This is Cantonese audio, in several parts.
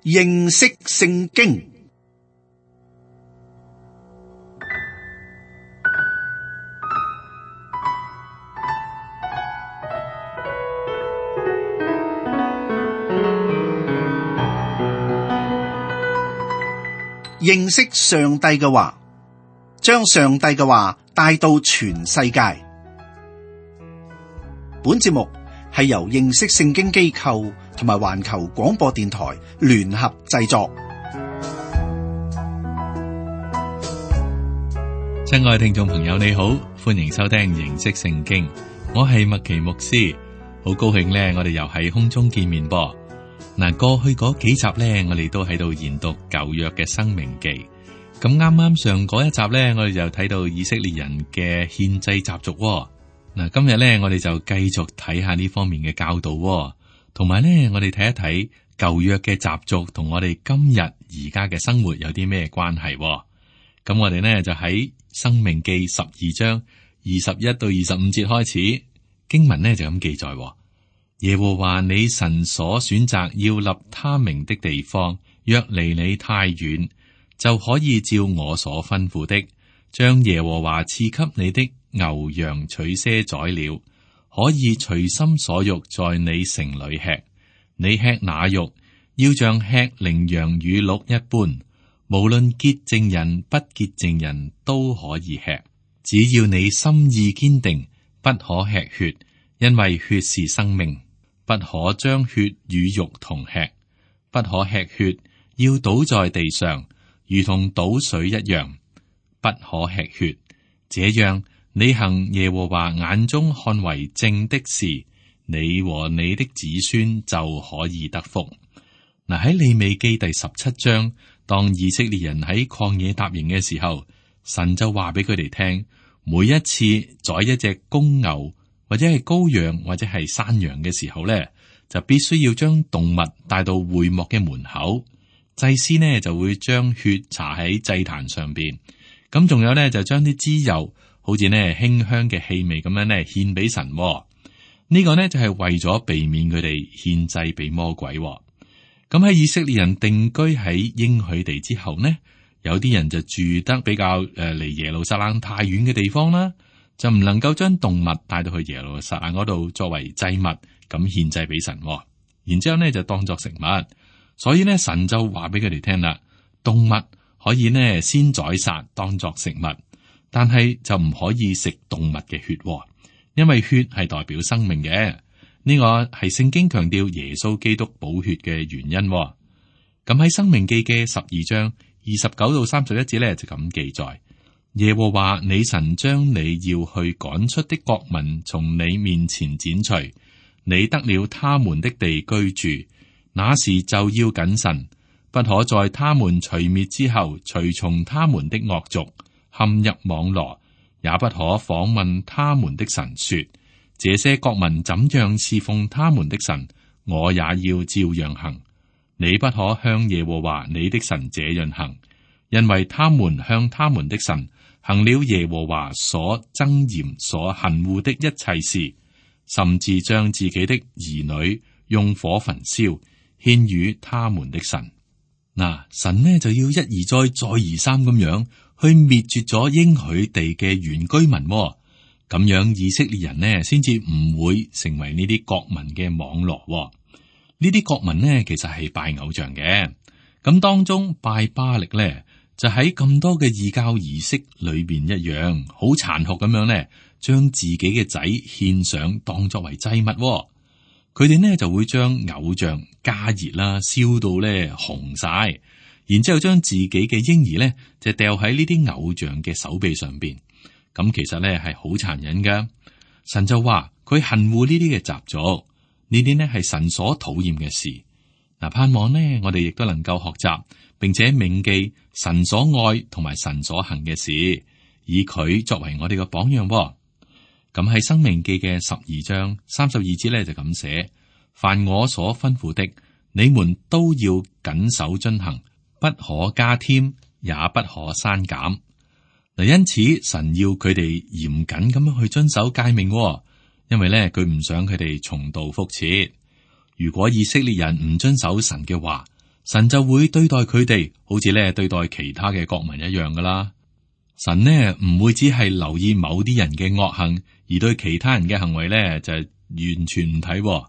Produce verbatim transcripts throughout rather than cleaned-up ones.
認識聖經。認識上帝嘅話，將上帝嘅話帶到全世界。本節目係由認識聖經機構同埋環球廣播電台聯合製作。親愛的聽眾朋友，你好，歡迎收聽認識聖經。我係麥奇牧師，好高興呢，我哋又喺空中見面噃。嗱，過去嗰幾集呢，我哋都喺度研讀舊約嘅申命記。咁啱啱上嗰一集呢，我哋就睇到以色列人嘅獻祭習俗。嗱，今日呢，我哋就繼續睇下呢方面嘅教導，同埋呢，我哋睇一睇舊約嘅習俗同我哋今日而家嘅生活有啲咩關係。咁我哋呢，就喺申命記十二章二十一到二十五節開始，經文呢就咁記載。耶和華你神所選擇要立他名的地方，若離你太遠，就可以照我所吩咐的，將耶和華賜給你的牛羊取些宰了，可以隨心所欲在你城裏吃。你吃那肉，要像吃羚羊乳鹿一般，無論潔淨人不潔淨人都可以吃。只要你心意堅定，不可吃血，因為血是生命。不可將血與肉同吃，不可吃血，要倒在地上，如同倒水一樣。不可吃血，這樣你行耶和華眼中看為正的事，你和你的子孫就可以得福。嗱，喺利未記第十七章，當以色列人喺曠野踏營嘅時候，神就話俾佢哋聽，每一次宰一隻公牛，或者係羔羊，或者係山羊嘅時候咧，就必須要將動物帶到會幕嘅門口，祭司呢就會將血搽喺祭壇上邊，咁仲有咧就將啲脂油，好似呢馨香嘅氣味咁樣咧獻俾神。呢、這個呢就係為咗避免佢哋獻祭俾魔鬼。咁喺以色列人定居喺應許地之後呢，有啲人就住得比較誒離耶路撒冷太遠嘅地方啦。就唔能夠將動物帶到去耶路撒冷嗰度作為祭物咁獻祭俾神，然之後呢就當作食物。所以呢，神就話俾佢哋聽啦，動物可以呢先宰殺當作食物，但係就唔可以食動物嘅血，因為血係代表生命嘅。呢個係聖經強調耶穌基督寶血嘅原因。咁喺申命記嘅十二章二十九到三十一節呢，就咁記載。耶和華你神將你要去趕出的國民從你面前剪除，你得了他們的地居住，那時就要謹慎，不可在他們除滅之後隨從他們的惡俗，陷入網羅，也不可訪問他們的神說，這些國民怎樣侍奉他們的神，我也要照樣行。你不可向耶和華你的神這樣行，因為他們向他們的神行了耶和華所憎厭、所恨惡的一切事，甚至將自己的兒女用火焚燒，獻與他們的神。嗱，神呢就要一而再、再而三咁樣去滅絕咗應許地嘅原居民，咁樣以色列人呢先至唔會成為呢啲國民嘅網羅。呢啲國民呢其實係拜偶像嘅，咁當中拜巴力呢，就喺咁多嘅異教儀式裏邊一樣，好殘酷咁樣咧，將自己嘅仔獻上當作為祭物。佢哋呢就會將偶像加熱啦，燒到咧紅晒，然之後將自己嘅嬰兒咧就掉喺呢啲偶像嘅手臂上邊。咁其實咧係好殘忍噶。神就話佢恨惡呢啲嘅習俗，呢啲呢係神所討厭嘅事。嗱，盼望呢我哋亦都能夠學習，並且銘記神所愛同埋神所行嘅事，以佢作為我哋嘅榜樣。咁喺申命記嘅十二章三十二節咧就咁寫：凡我所吩咐的，你們都要謹守遵行，不可加添，也不可刪減。嗱，因此神要佢哋嚴謹咁樣去遵守誡命，因為咧佢唔想佢哋重蹈覆轍。如果以色列人唔遵守神嘅話，神就會對待佢哋好似咧對待其他嘅國民一樣噶啦。神呢唔會只係留意某啲人嘅惡行，而對其他人嘅行為咧就係完全唔睇。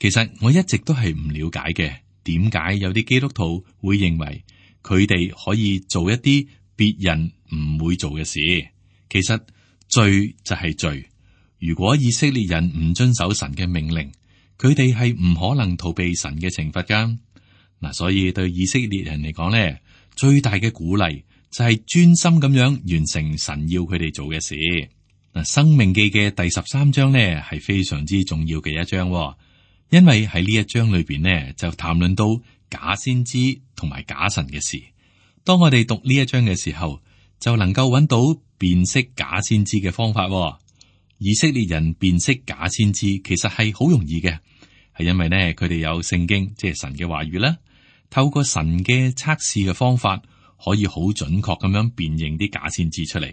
其實我一直都係唔了解嘅，點解有啲基督徒會認為佢哋可以做一啲別人唔會做嘅事？其實罪就係罪。如果以色列人唔遵守神嘅命令，佢哋係唔可能逃避神嘅懲罰噶。嗱，所以對以色列人嚟講咧，最大嘅鼓勵就係專心咁樣完成神要佢哋做嘅事。嗱，《申命記》嘅第十三章咧係非常之重要嘅一章，因為喺呢一章裏邊呢，就談論到假先知同埋假神嘅事。當我哋讀呢一章嘅時候，就能夠揾到辨識假先知嘅方法。以色列人辨識假先知其實係好容易嘅，係因為呢，佢哋有聖經，即係神嘅話語啦。透過神嘅測試嘅方法，可以好準確咁樣辨認啲假先知出嚟。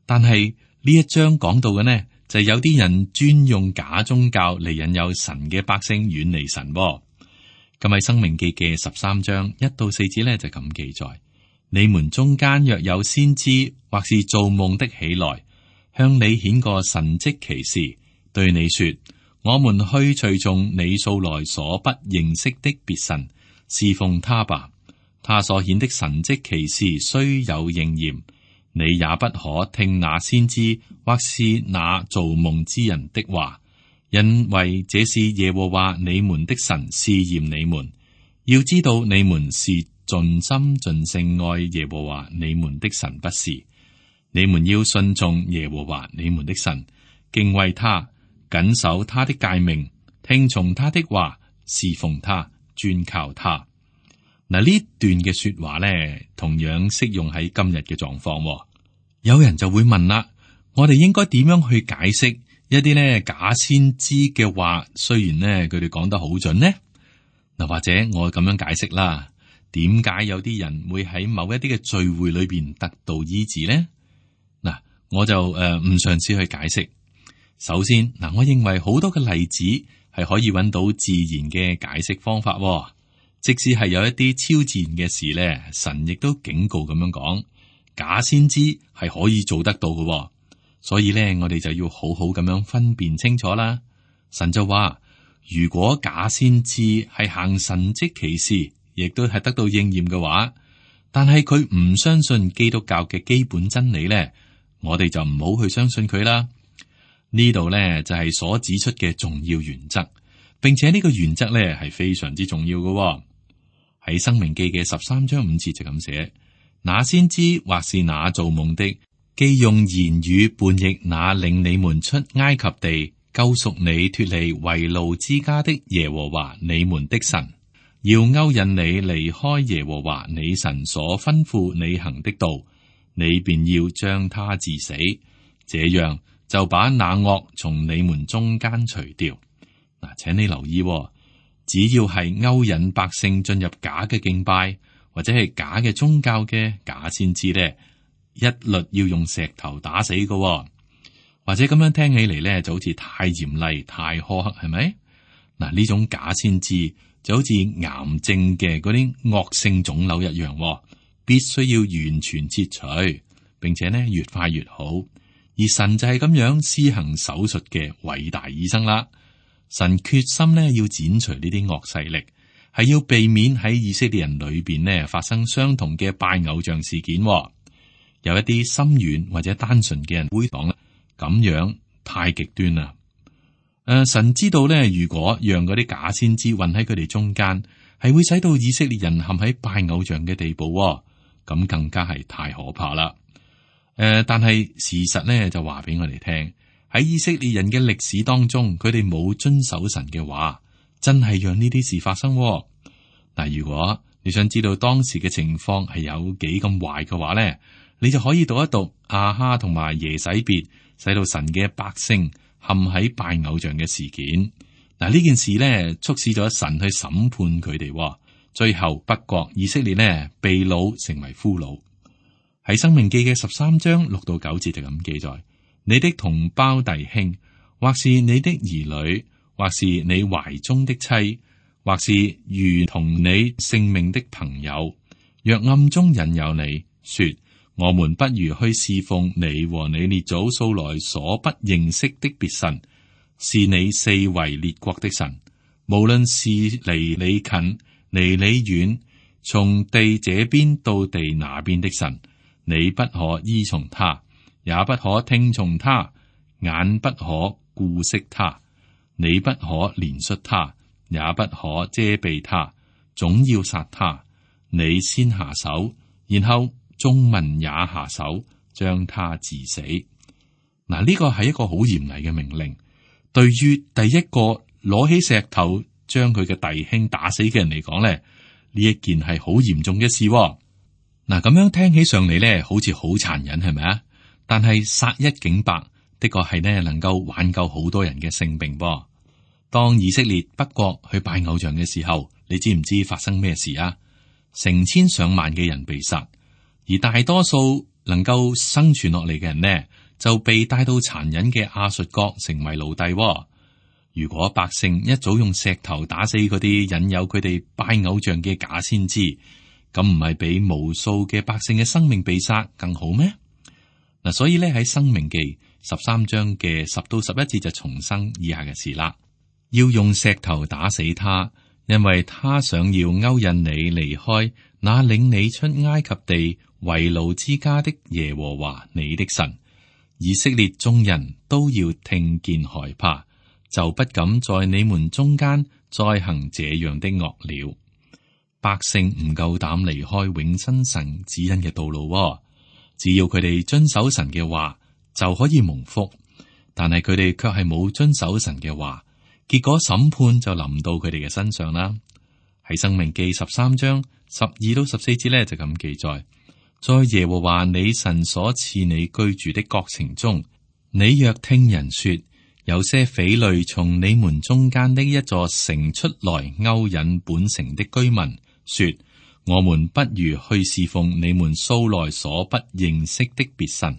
但係呢一章講到嘅呢，就係有啲人專用假宗教嚟引誘神嘅百姓遠離神。咁喺《申命記》嘅十三章一到四節呢，就咁記載：你們中間若有先知或是做夢的起來，向你顯個神蹟奇事，對你說：我們去隨從你素來所不認識的別神，侍奉他吧。他所顯的神蹟奇事雖有應驗，你也不可聽那先知或是那做夢之人的話，因為這是耶和華你們的神試驗你們，要知道你們是盡心盡性愛耶和華你們的神不是。你們要順從耶和華你們的神，敬畏他，謹守他的誡命，聽從他的話，侍奉他，專靠他。嗱，呢段嘅說話咧，同樣適用喺今日嘅狀況。有人就會問啦，我哋應該點樣去解釋一啲咧假先知嘅話？雖然咧佢哋講得好準呢，嗱，或者我咁樣解釋啦，點解有啲人會喺某一啲嘅聚會裏邊得到醫治呢？嗱，我就誒唔嘗試去解釋。首先，嗱，我認為好多嘅例子係可以揾到自然嘅解釋方法。即使係有一啲超自然嘅事咧，神亦都警告咁樣講，假先知係可以做得到嘅。所以咧，我哋就要好好咁樣分辨清楚啦。神就話，如果假先知係行神蹟奇事，亦都係得到應驗嘅話，但係佢唔相信基督教嘅基本真理咧，我哋就唔好去相信佢啦。呢度咧就係所指出嘅重要原則，並且呢個原則咧係非常之重要嘅。喺《申命記》嘅十三章五節就咁寫：那先知或是那做夢的，既用言語叛逆那領你們出埃及地、救贖你脫離為奴之家的耶和華你們的神，要勾引你離開耶和華你神所吩咐你行的道，你便要將他治死，這樣就把那惡從你們中間除掉。嗱，請你留意，只要係勾引百姓進入假嘅敬拜或者係假嘅宗教嘅假先知咧，一律要用石頭打死嘅。或者咁樣聽起嚟咧，就好似太嚴厲、太苛刻，係咪？嗱，呢種假先知就好似癌症嘅嗰啲惡性腫瘤一樣，必須要完全切除，並且呢越快越好。而神就係咁樣施行手術嘅偉大醫生啦。神決心呢要剪除呢啲惡勢力，係要避免喺以色列人裏邊呢發生相同嘅拜偶像事件。有一啲心軟或者單純嘅人會講啦，咁樣太極端啦。誒、呃，神知道呢，如果讓嗰啲假先知混喺佢哋中間，係會使到以色列人陷喺拜偶像嘅地步，咁更加係太可怕啦。誒、呃，但係事實呢就話俾我哋聽。喺以色列人嘅歷史當中，佢哋冇遵守神嘅話，真係讓呢啲事發生。嗱，如果你想知道當時嘅情況係有幾咁壞嘅話咧，你就可以讀一讀亞哈同埋耶洗別使到神嘅百姓陷喺拜偶像嘅事件。嗱，呢件事咧促使咗神去審判佢哋，最後北國以色列呢被擄成為俘虜。喺《申命記》嘅十三章六到九節就咁記載。你的同胞弟兄，或是你的兒女，或是你懷中的妻，或是如同你性命的朋友，若暗中引誘你說，我們不如去侍奉你和你列祖素來所不認識的別神，是你四圍列國的神，無論是離你近離你遠，從地這邊到地那邊的神，你不可依從他，也不可聽從他，眼不可顧惜他，你不可憐恤他，也不可遮蔽他，總要殺他。你先下手，然後眾民也下手，將他治死。嗱，呢個係一個好嚴厲嘅命令。對於第一個攞起石頭將佢嘅弟兄打死嘅人嚟講咧，呢一件係好嚴重嘅事。嗱，咁樣聽起上嚟咧，好似好殘忍，係咪啊？但係殺一儆百，的確係呢能夠挽救好多人嘅性命噃。當以色列北國去拜偶像嘅時候，你知唔知發生咩事啊？成千上萬嘅人被殺，而大多數能夠生存落嚟嘅人呢，就被帶到殘忍嘅亞述國成為奴隸。如果百姓一早用石頭打死嗰啲引誘佢哋拜偶像嘅假先知，咁唔係比無數嘅百姓嘅生命被殺更好咩？嗱，所以咧喺《申命記》十三章嘅十到十一節就重申以下嘅事啦。要用石頭打死他，因為他想要勾引你離開那領你出埃及地為奴之家的耶和華你的神。以色列眾人都要聽見害怕，就不敢在你們中間再行這樣的惡了。百姓唔夠膽離開永生神指引嘅道路，只要佢哋遵守神嘅話就可以蒙福，但係佢哋卻係冇遵守神嘅話，結果審判就臨到佢哋嘅身上啦。喺《申命記》十三章十二到十四節咧就咁記載：在耶和華你神所賜你居住的各城中，你若聽人說有些匪類從你們中間的一座城出來勾引本城的居民，說我們不如去侍奉你們素來所不認識的別神，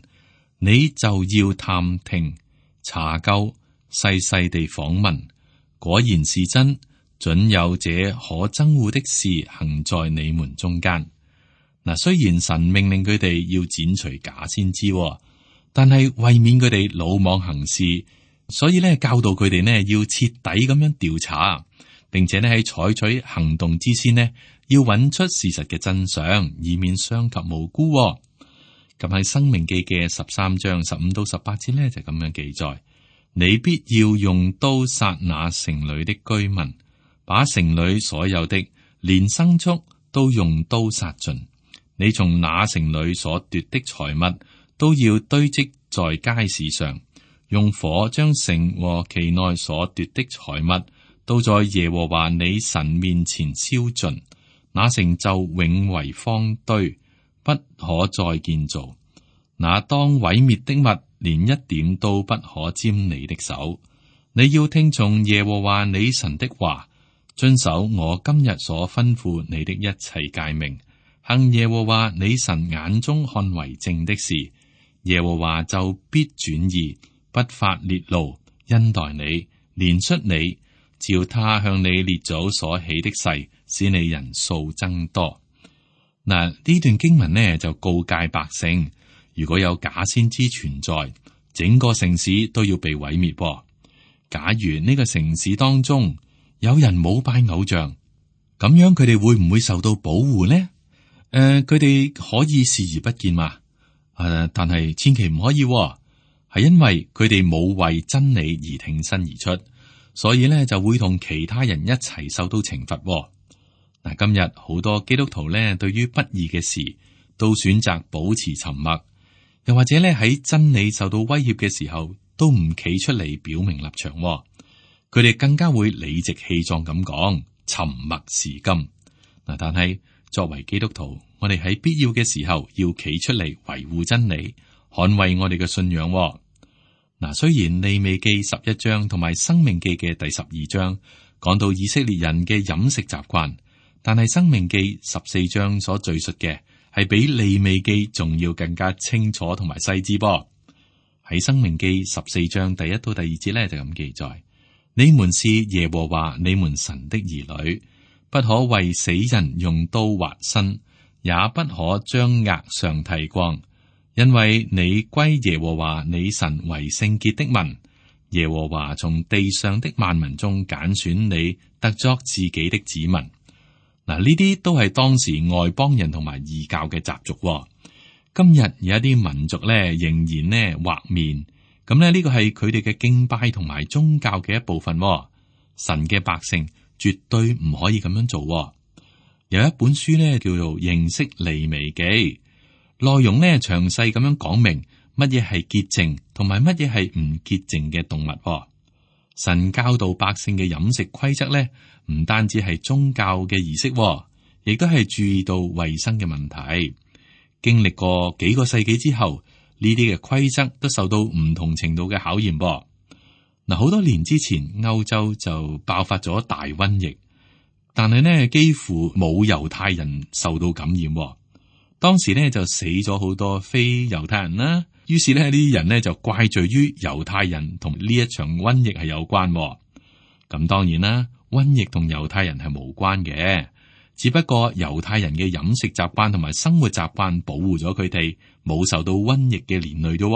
你就要探聽查究，細細地訪問，果然是真，準有這可憎惡的事行在你們中間。嗱，雖然神命令佢哋要剪除假先知，但係為免佢哋魯莽行事，所以咧教導佢哋呢要徹底咁樣調查，並且呢喺採取行動之先呢，要揾出事實嘅真相，以免傷及無辜。咁喺《申命記》嘅十三章十五到十八節呢，就咁樣記載：你必要用刀殺那城裏的居民，把城裏所有的連牲畜都用刀殺盡。你從那城裏所奪的財物都要堆積在街市上，用火將城和其內所奪的財物都在耶和華你神面前燒盡，那城就永為荒堆，不可再建造。那當毀滅的物，連一點都不可沾你的手。你要聽從耶和華你神的話，遵守我今日所吩咐你的一切誡命，行耶和華你神眼中看為正的事，耶和華就必轉意，不發烈怒，恩待你，憐恤你，照他向你列祖所起的誓，使你人數增多。嗱，呢段經文呢就告誡百姓，如果有假先知存在，整個城市都要被毀滅。假如呢個城市當中有人冇拜偶像，咁樣佢哋會唔會受到保護呢？誒、呃，佢哋可以視而不見嘛？誒、呃，但係千祈唔可以、哦，係因為佢哋冇為真理而挺身而出，所以咧就會同其他人一齊受到懲罰、哦。嗱，今日好多基督徒咧，對於不義嘅事都選擇保持沉默，又或者咧喺真理受到威脅嘅時候，都唔企出嚟表明立場、哦。佢哋更加會理直氣壯咁講，沉默是金。嗱，但係作為基督徒，我哋喺必要嘅時候要企出嚟維護真理，捍衛我哋嘅信仰、哦。嗱，雖然利未記十一章同埋申命記嘅第十二章講到以色列人嘅飲食習慣，但係申命記十四章所敘述嘅係比利未記仲要更加清楚同埋細緻噃。喺申命記十四章第一到第二節咧就咁記載：你們是耶和華你們神的兒女，不可為死人用刀劃身，也不可將額上剃光，因為你歸耶和華你神為聖潔的民。耶和華從地上的萬民中揀選你，特作自己的子民。嗱，呢啲都係當時外邦人同埋異教嘅習俗。今日有一啲民族咧，仍然咧畫面，咁咧呢個係佢哋嘅敬拜同埋宗教嘅一部分。神嘅百姓絕對唔可以咁樣做。有一本書咧叫做《認識利未記》，內容咧詳細咁樣講明乜嘢係潔淨同埋乜嘢係唔潔淨嘅動物。神教導百姓嘅飲食規則咧，唔單止係宗教嘅儀式，亦都係注意到衛生嘅問題。經歷過幾個世紀之後，呢啲嘅規則都受到唔同程度嘅考驗噃。嗱，好多年之前，歐洲就爆發咗大瘟疫，但係呢幾乎冇猶太人受到感染。當時呢就死咗好多非猶太人啦。於是呢呢啲人呢就怪罪於猶太人同呢一場瘟疫係有關。咁當然啦，瘟疫同猶太人係無關嘅。只不過猶太人嘅飲食習慣同埋生活習慣保護咗佢哋，冇受到瘟疫嘅連累啫。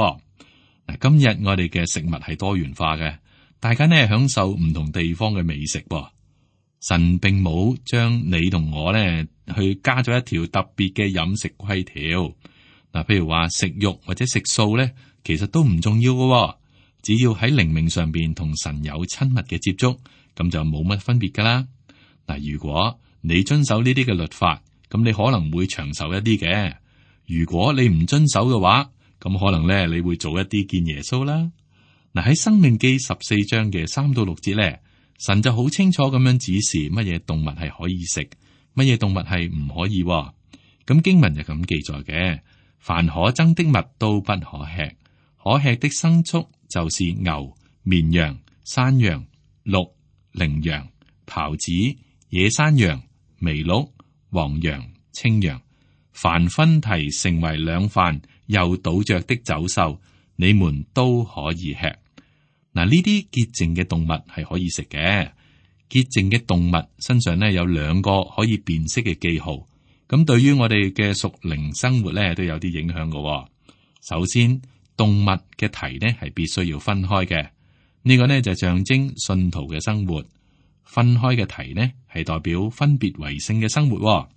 嗱，今日我哋嘅食物係多元化嘅，大家呢享受唔同地方嘅美食噃。神並冇將你同我呢去加咗一條特別嘅飲食規條。嗱，譬如話食肉或者食素呢，其實都唔重要嘅，只要喺靈命上邊同神有親密嘅接觸，咁就冇乜分別噶啦。嗱，如果你遵守呢啲嘅律法，咁你可能會長壽一啲嘅。如果你唔遵守嘅話，咁可能咧你會做一啲見耶穌啦。嗱，喺申命記十四章嘅三到六節咧，神就好清楚咁樣指示乜嘢動物係可以食，乜嘢動物係唔可以。咁經文就咁記載嘅：凡可憎的物都不可吃，可吃的牲畜就是牛、綿羊、山羊、鹿、羚羊、狍子、野山羊、麋鹿、黃羊、青羊，凡分蹄成為兩瓣又倒着的走獸，你們都可以吃。嗱，呢啲潔淨嘅動物係可以食嘅。潔淨嘅動物身上呢有兩個可以辨識嘅記號，咁對於我哋嘅屬靈生活呢都有啲影響嘅。首先，動物嘅蹄呢係必須要分開嘅，呢個呢就象徵信徒嘅生活。分開嘅蹄呢，係代表分別為聖嘅生活。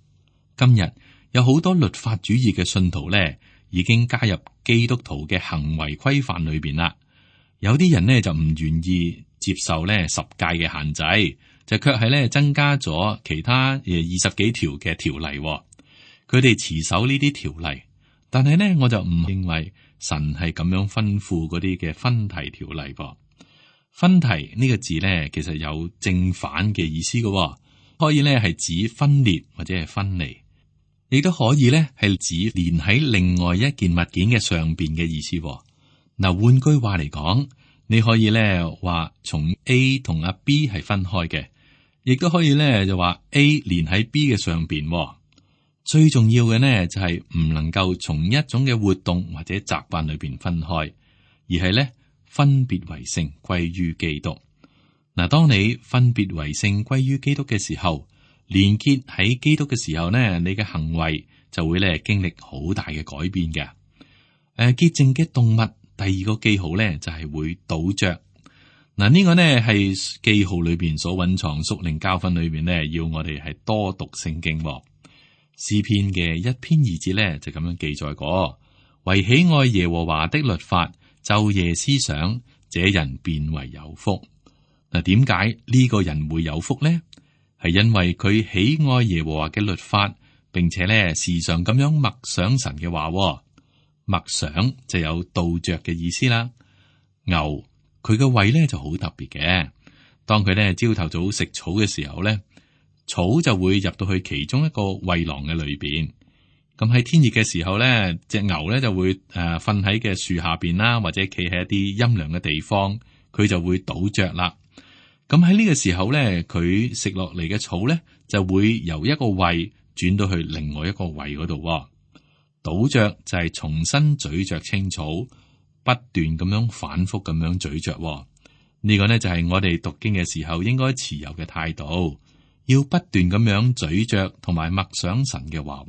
今日有好多律法主義嘅信徒呢，已經加入基督徒嘅行為規範裏邊啦。有啲人呢就唔願意接受呢十誡嘅限制，就卻係呢增加咗其他誒二十幾條嘅條例。佢哋持守呢啲條例，但係呢我就唔認為神係咁樣吩咐嗰啲嘅分蹄條例噃。分蹄呢個字咧，其實有正反嘅意思嘅，可以咧係指分裂或者係分離，亦都可以咧係指連喺另外一件物件嘅上邊嘅意思。嗱，換句話嚟講，你可以咧話從 A 同阿 B 係分開嘅，亦都可以咧就話 A 連喺 B 嘅上邊。最重要嘅呢就係唔能夠從一種嘅活動或者習慣裏邊分開，而係咧。分別為聖歸於基督。嗱，當你分別為聖歸於基督嘅時候，連結喺基督嘅時候呢，你嘅行為就會咧經歷好大嘅改變嘅。誒、呃，潔淨嘅動物第二個記號咧就係、是、會倒着。嗱，呢個呢係記號裏邊所蘊藏屬靈教訓裏邊呢，要我哋係多讀聖經。詩篇嘅一篇二節咧就咁樣記載過：為喜愛耶和華的律法，晝夜思想，這人便為有福。嗱，點解呢個人會有福呢？係因為佢喜愛耶和華嘅律法，並且咧時常咁樣默想神嘅話。默想就有倒着嘅意思啦。牛佢嘅胃咧就好特別嘅，當佢咧朝頭早食草嘅時候咧，草就會入到去其中一個胃囊嘅裏邊。咁喺天熱嘅時候咧，隻牛咧就會誒瞓喺嘅樹下邊啦，或者企喺一啲陰涼嘅地方，佢就會倒着啦。咁喺呢個時候咧，佢食落嚟嘅草咧就會由一個胃轉到去另外一個胃嗰度。倒着就係重新咀嚼青草，不斷咁樣反覆咁樣咀嚼。呢個呢，就係我哋讀經嘅時候應該持有嘅態度，要不斷咁樣咀嚼同埋默想神嘅話。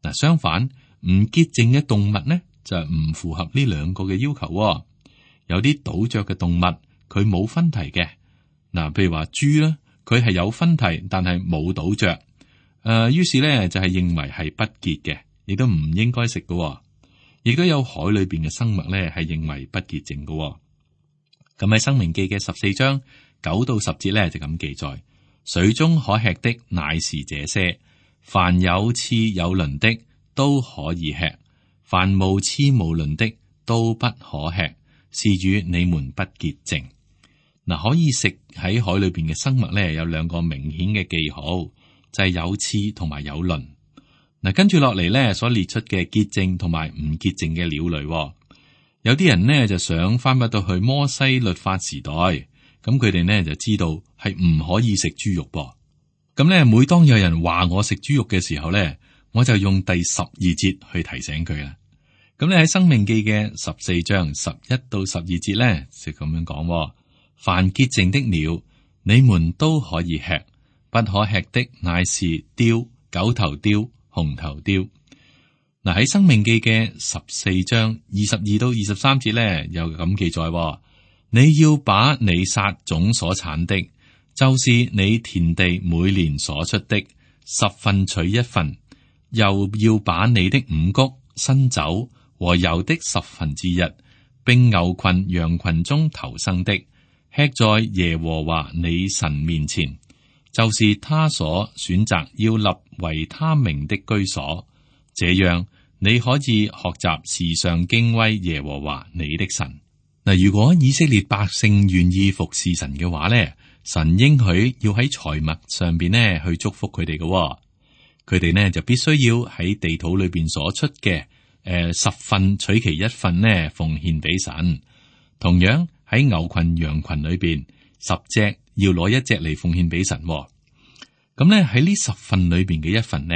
嗱，相反唔潔淨嘅動物呢，就唔符合呢兩個嘅要求。有啲倒嚼嘅動物佢冇分蹄嘅，嗱，譬如話豬啦，佢係有分蹄，但係冇倒嚼。誒、呃，於是呢，就係認為係不潔嘅，亦都唔應該食嘅。亦都有海裏邊嘅生物呢，係認為不潔淨嘅。咁喺《申命記》嘅十四章九到十節呢，就咁記載：水中可吃的乃是這些，凡有翅有鱗的都可以吃，凡無翅無鱗的都不可吃，是與你們不潔淨。嗱，可以食喺海裏邊嘅生物呢，有兩個明顯嘅記號，就係、是、有翅同埋有鱗。嗱，跟住落嚟呢，所列出嘅潔淨同埋唔潔淨嘅鳥類。有啲人呢就想翻返到去摩西律法時代，咁佢哋呢就知道係唔可以食豬肉噃。咁呢，每當有人話我食豬肉嘅時候呢，我就用第十二節去提醒佢啦。咁你喺《申命記》嘅十四章十一到十二節呢，就咁樣講：凡潔淨的鳥，你們都可以吃，不可吃的乃是雕、九頭雕、紅頭雕。嗱，喺《申命記》嘅十四章二十二到二十三節咧，又咁記載：你要把你撒種所產的，就是你田地每年所出的十分取一份，又要把你的五穀、新酒和油的十分之一，並牛群、羊群中頭生的，吃在耶和華你神面前，就是他所選擇要立為他名的居所。這樣你可以學習時常敬畏耶和華你的神。嗱，如果以色列百姓願意服侍神嘅話咧，神應許要喺財物上邊咧去祝福佢哋嘅。佢哋呢就必須要喺地土裏邊所出嘅誒、呃、十份取其一份呢奉獻俾神。同樣喺牛群羊群裏邊，十隻要攞一隻嚟奉獻俾神。咁咧喺呢十份裏邊嘅一份呢，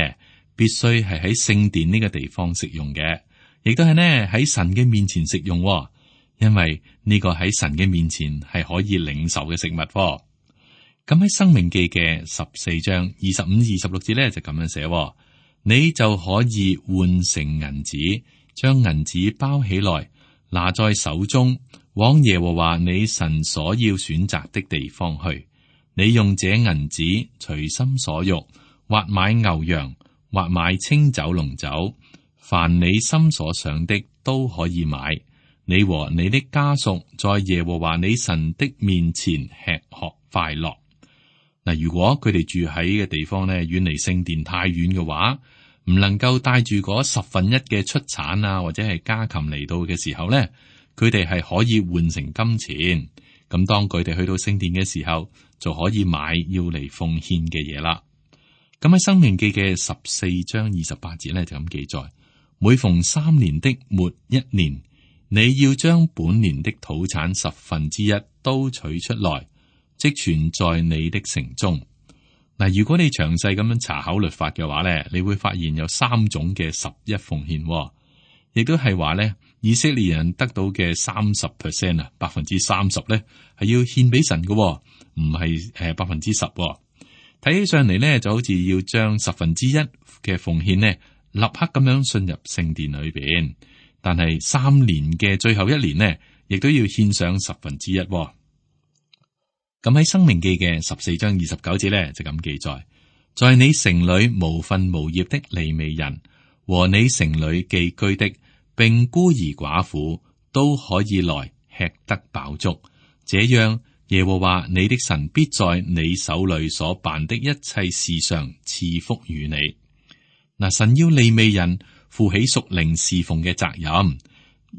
必須係喺聖殿呢個地方食用嘅，亦都係呢喺神嘅面前食用，因為呢個喺神嘅面前係可以領受嘅食物。咁喺申命記嘅十四章二十五、二十六節咧就咁樣寫：你就可以換成銀子，將銀子包起來，拿在手中，往耶和華你神所要選擇的地方去。你用這銀子隨心所欲，或買牛羊，或買清酒濃酒，凡你心所想的都可以買。你和你的家屬在耶和華你神的面前吃喝快樂。嗱，如果佢哋住喺嘅地方咧，遠離聖殿太遠嘅話，唔能夠帶住嗰十分一嘅出產啊，或者係家禽嚟到嘅時候咧，佢哋係可以換成金錢。咁當佢哋去到聖殿嘅時候，就可以買要嚟奉獻嘅嘢啦。咁喺《申命記》嘅十四章二十八節咧就咁記載：每逢三年的末一年，你要將本年的土產十分之一都取出來，積存在你的城中。嗱，如果你詳細咁樣查考律法嘅話咧，你會發現有三種嘅十一奉獻，亦都係話咧，以色列人得到嘅三十 percent 啊，百分之三十咧係要獻俾神嘅，唔係誒百分之十。睇起上嚟咧，就好似要將十分之一嘅奉獻呢，立刻咁樣進入聖殿裏邊。但係三年嘅最後一年呢，亦都要獻上十分之一。咁喺《申命記》嘅十四章二十九節咧，就咁記載：在你城裏無分無業的利未人和你城裏寄居的，並孤兒寡婦都可以來吃得飽足。這樣耶和華你的神必在你手裏所辦的一切事上賜福與你。嗱，神要利未人負起屬靈侍奉嘅責任，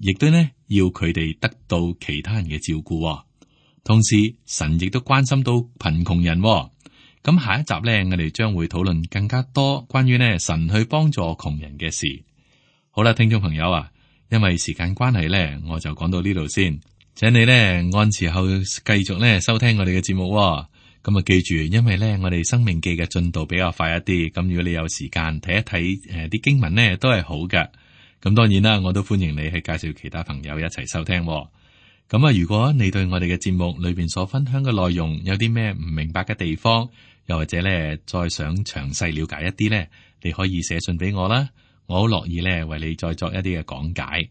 亦都呢要佢哋得到其他人嘅照顧。同時，神亦都關心到貧窮人。咁下一集呢，我哋將會討論更加多關於呢神去幫助窮人嘅事。好啦，聽眾朋友啊，因為時間關係呢，我就講到呢度先。請你呢按時候繼續呢收聽我哋嘅節目。咁啊，記住，因為呢我哋生命記嘅進度比較快一啲。咁如果你有時間睇一睇誒啲經文呢，都係好嘅。咁當然啦，我都歡迎你去介紹其他朋友一齊收聽。咁啊，如果你對我哋嘅節目裏邊所分享嘅內容有啲咩唔明白嘅地方，又或者咧再想詳細了解一啲咧，你可以寫信俾我啦，我好樂意咧為你再作一啲嘅講解。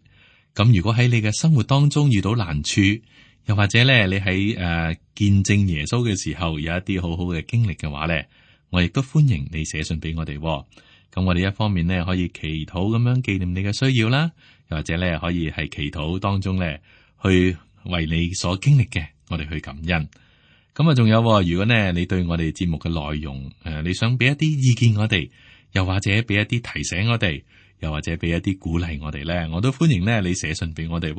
咁如果喺你嘅生活當中遇到難處，又或者咧你喺誒、呃、見證耶穌嘅時候有一啲好好嘅經歷嘅話咧，我亦都歡迎你寫信俾我哋。咁我哋一方面咧可以祈禱咁樣紀念你嘅需要啦，又或者咧可以係祈禱當中咧去為你所經歷嘅，我哋去感恩。咁啊，仲有，如果呢你對我哋節目嘅內容誒、呃，你想俾一啲意見我哋，又或者俾一啲提醒我哋，又或者俾一啲鼓勵我哋咧，我都歡迎咧你寫信俾我哋。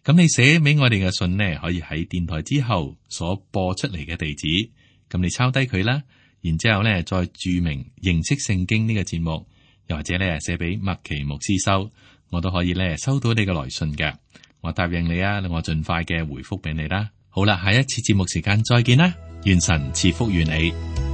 咁你寫俾我哋嘅信呢，可以喺電台之後所播出嚟嘅地址，咁你抄低佢啦。然之後咧，再注明認識聖經呢個節目，又或者咧寫俾麥奇牧師收，我都可以咧收到你嘅來信嘅。我答應你啊，我盡快嘅回覆俾你啦。好啦，下一次節目時間再見啦，願神賜福於你。